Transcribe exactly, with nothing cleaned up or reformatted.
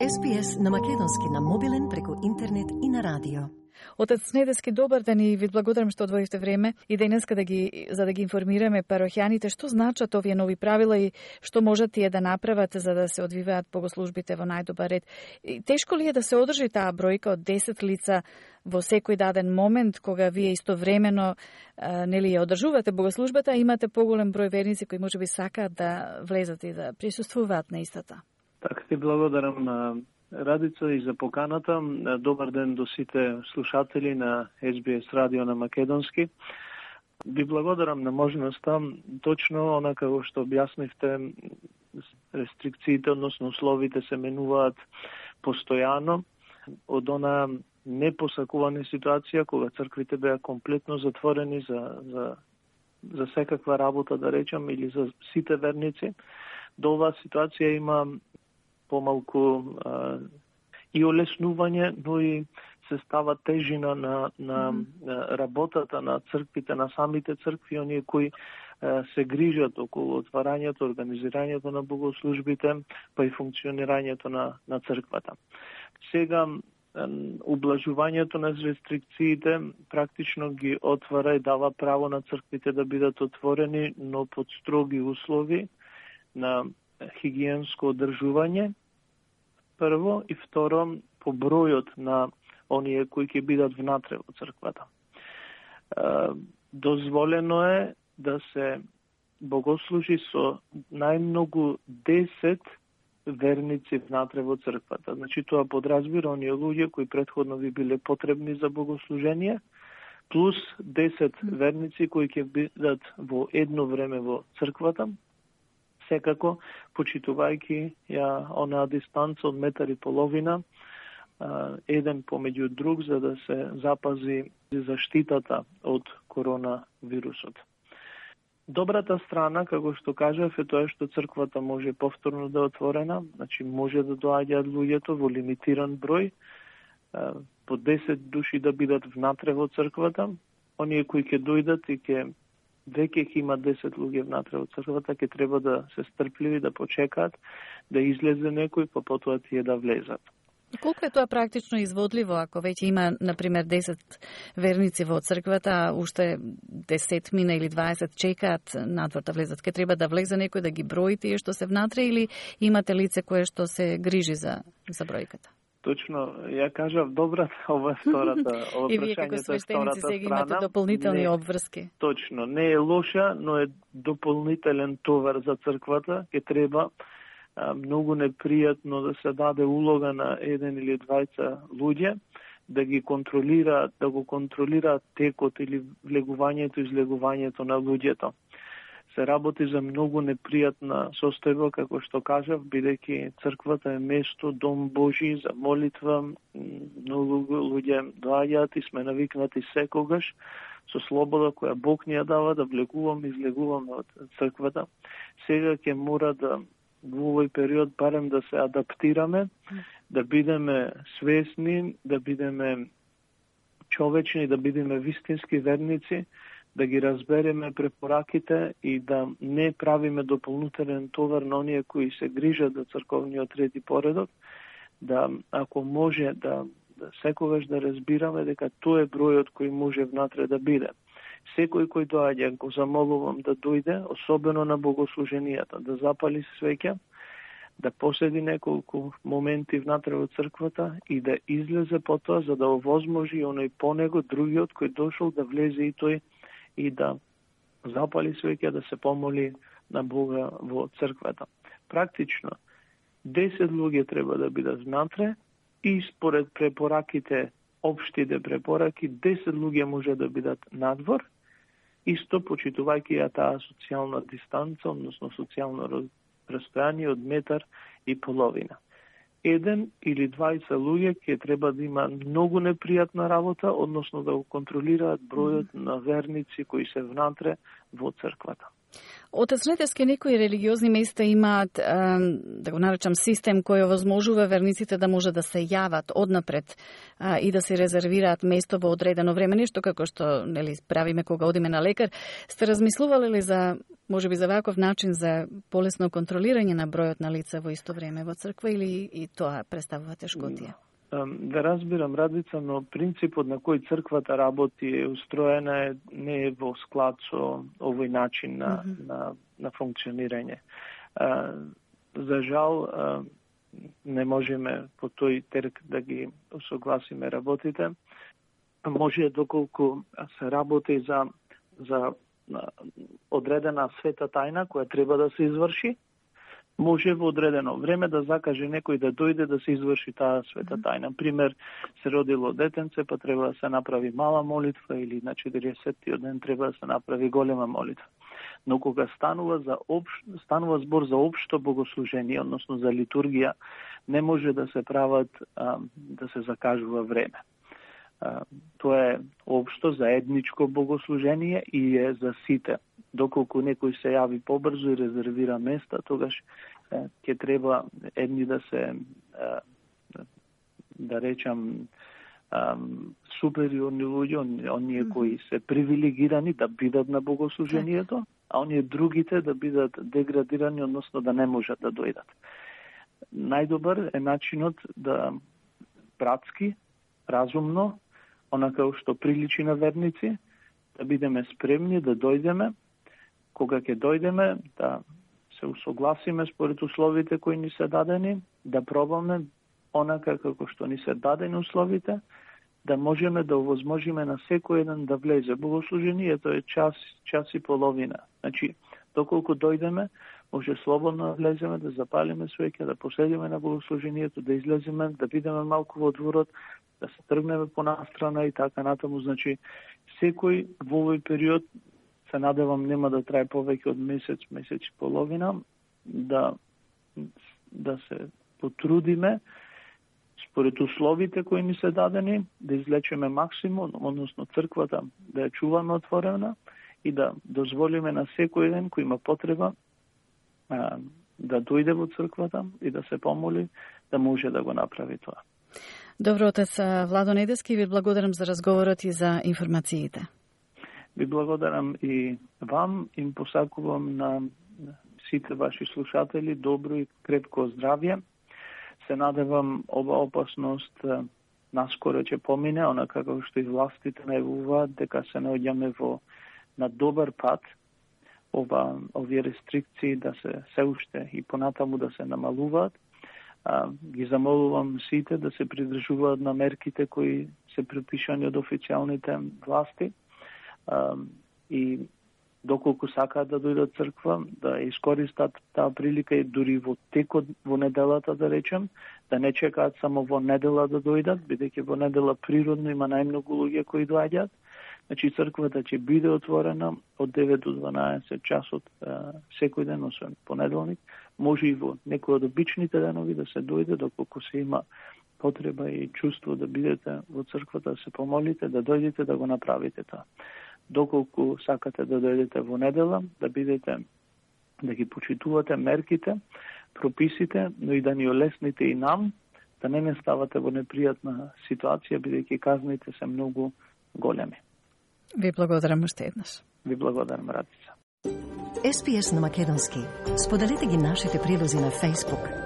Ес Би Ес на македонски на мобилен преку интернет и на радио. Отец Недески, добар ден и ви благодарам што одвоивте време и денеска да ги, за да ги информираме парохјаните што значат овие нови правила и што можат тие да направат за да се одвиваат богослужбите во најдобар ред. И тешко ли е да се одржи таа бројка од десет лица во секој даден момент кога вие истовремено а, нели ја одржувате богослужбата, а имате поголем број верници кои можеби сакаат да влезат и да присуствуваат на истата? Така ти благодарам, Радица, и за поканата. Добар ден до сите слушатели на Ес Би Ес радио на македонски. Ви благодарам на можноста, точно онака што објаснивте, рестрикциите, односно условите се менуваат постојано од она непосакувана ситуација кога црквите беа комплетно затворени за, за, за секаква работа, да речам, или за сите верници. До оваа ситуација има помалку а, и олеснување, но и се става тежина на, на mm-hmm. работата на црквите, на самите цркви, оние кои а, се грижат околу отварањето, организирањето на богослужбите, па и функционирањето на, на црквата. Сега, ублажувањето на рестрикциите практично ги отвара и дава право на црквите да бидат отворени, но под строги услови на хигиенско одржување, прво, и второ, по бројот на оние кои ќе бидат внатре во црквата. Дозволено е да се богослужи со најмногу десет верници внатре во црквата. Значи, тоа подразбира оние луѓе кои претходно би биле потребни за богослужение, плюс десет верници кои ќе бидат во едно време во црквата, секако почитувајќи ја онаа дистанца од метар и половина, еден помеѓу друг, за да се запази заштитата од коронавирусот. Добрата страна, како што кажав, е тоа што црквата може повторно да е отворена, значи може да доаѓаат луѓето во лимитиран број, по десет души да бидат внатре во црквата, оние кои ќе дојдат и ќе веќе ќе има десет луѓе внатре во црквата, ќе треба да се стрпливи, да почекаат, да излезе некој, па потоа тие да влезат. Колку е тоа практично изводливо, ако веќе има, например, десет верници во црквата, а уште десет мина или дваесет чекаат надвор да влезат? Ке треба да влезе некој да ги брои тие што се внатре, или имате лице кое што се грижи за, за бројката? Точно, ја кажав, добра ова втората, ова и вие како свештеници сега имате дополнителни обврски. Точно, не е лоша, но е дополнителен товар за црквата. Ке треба а, многу непријатно да се даде улога на еден или двајца луѓе, да ги контролира, да го контролираат текот или влегувањето и излегувањето на луѓето. Се работи за многу непријатна состојба, како што кажав, бидејќи црквата е место, дом Божи за молитва, многу луѓе доаѓаат и сме навикнати секогаш со слобода која Бог ни ја дава да влегуваме и излегуваме од црквата. Сега ќе мора да во овој период барем да се адаптираме, да бидеме свесни, да бидеме човечни, да бидеме вистински верници, да ги разбереме препораките и да не правиме дополнителен товар на оние кои се грижат за црковниот ред и поредок, да, ако може, да, да секогаш да разбираме дека тоа е бројот кој може внатре да биде. Секој кој доаѓа, го замолувам да дојде, особено на богослуженијата, да запали свеќа, да поседи неколку моменти внатре во црквата и да излезе потоа, за да овозможи оној по него другиот кој дошол да влезе и тој и да запали свеќа, да се помоли на Бога во црквата. Практично, десет луѓе треба да бидат внатре и според препораките, општите препораки, десет луѓе може да бидат надвор, исто почитувајќи ја таа социјална дистанца, односно социјално растојание од метар и половина. Еден или двајца луѓе ќе треба да има многу непријатна работа, односно да го контролираат бројот на верници кои се внатре во црквата. Отец Недески, некои религиозни места имаат, да го наречам, систем кој овозможува верниците да може да се јават однапред и да се резервираат место во одредено време, нешто како што, нели, правиме кога одиме на лекар. Сте размислувале ли за, можеби за ваков начин за полесно контролирање на бројот на лица во исто време во црква, или и тоа представува тешкотија? Да разбирам, Радица, но принципот на кој црквата работи е устроена не е во склад со овој начин на, mm-hmm. на, на функционирање. А, за жал, а, не можеме по тој терк да ги усогласиме работите. Може доколку се работи за, за одредена света тајна која треба да се изврши, може во одредено време да закаже некој да дојде да се изврши таа света тајна. Пример, се родило детенце, па треба да се направи мала молитва, или на четиридесеттиот ден треба да се направи голема молитва. Но кога станува за обш... станува збор за општо богослужение, односно за литургија, не може да се прават а, да се закажува време. А, тоа е општо заедничко богослужение и е за сите. Доколку некој се јави побрзо и резервира места, тогаш ќе треба едни да се, да речам, супериорни луѓе, оние кои се привилегирани да бидат на богослужението, а оние другите да бидат деградирани, односно да не можат да дојдат. Најдобар е начинот да братски, разумно, онака што приличи на верници, да бидеме спремни да дојдеме, кога ќе дојдеме, да се усогласиме според условите кои ни се дадени, да пробаме онака како што ни се дадени условите, да можеме да овозможиме на секој еден да влезе. Богослужението е час, час и половина. Значи, доколку дојдеме, може слободно да влеземе, да запалиме свеќа, да поседиме на богослужението, да излеземе, да бидеме малку во дворот, да се тргнеме по настрана и така натаму. Значи, секој во овој период, се надевам, нема да трае повеќе од месец, месец и половина, да, да се потрудиме според условите кои ни се дадени, да излечеме максимум, односно црквата да ја чуваме отворена и да дозволиме на секој еден кој има потреба а, да дојде во црквата и да се помоли, да може да го направи тоа. Добро, отец Владо Недески, ви благодарам за разговорот и за информациите. Ви благодарам и вам, им посакувам на сите ваши слушатели добро и крепко здравје. Се надевам ова опасност наскоро ќе помине, онака како што и властите најавуваат дека се наоѓаме во на добар пат, ова овие рестрикции да се се уште и понатаму да се намалуваат. А, ги замолувам сите да се придржуваат на мерките кои се препишани од официјалните власти. Uh, и доколку сакаат да дојдат црква, да искористат таа прилика и дури во текот во неделата, да речем, да не чекаат само во недела да дојдат, бидејќи во недела природно има најмногу луѓе кои доаѓаат. Значи црквата ќе биде отворена од девет до дванаесет часот uh, секој ден, освен понеделник. Може и во некои од обичните денови да се дојде, доколку се има потреба и чувство да бидете во црквата, да се помолите, да дојдете да го направите тоа. Доколку сакате да дојдете во недела, да бидете, да ги почитувате мерките, прописите, но и да ни олесните и нам, да не не ставате во непријатна ситуација, бидејќи казните се многу големи. Ви благодарам уште еднаш. Ви благодарам, Радица. Ес Би Ес на македонски. Споделете ги нашите прилози на Facebook.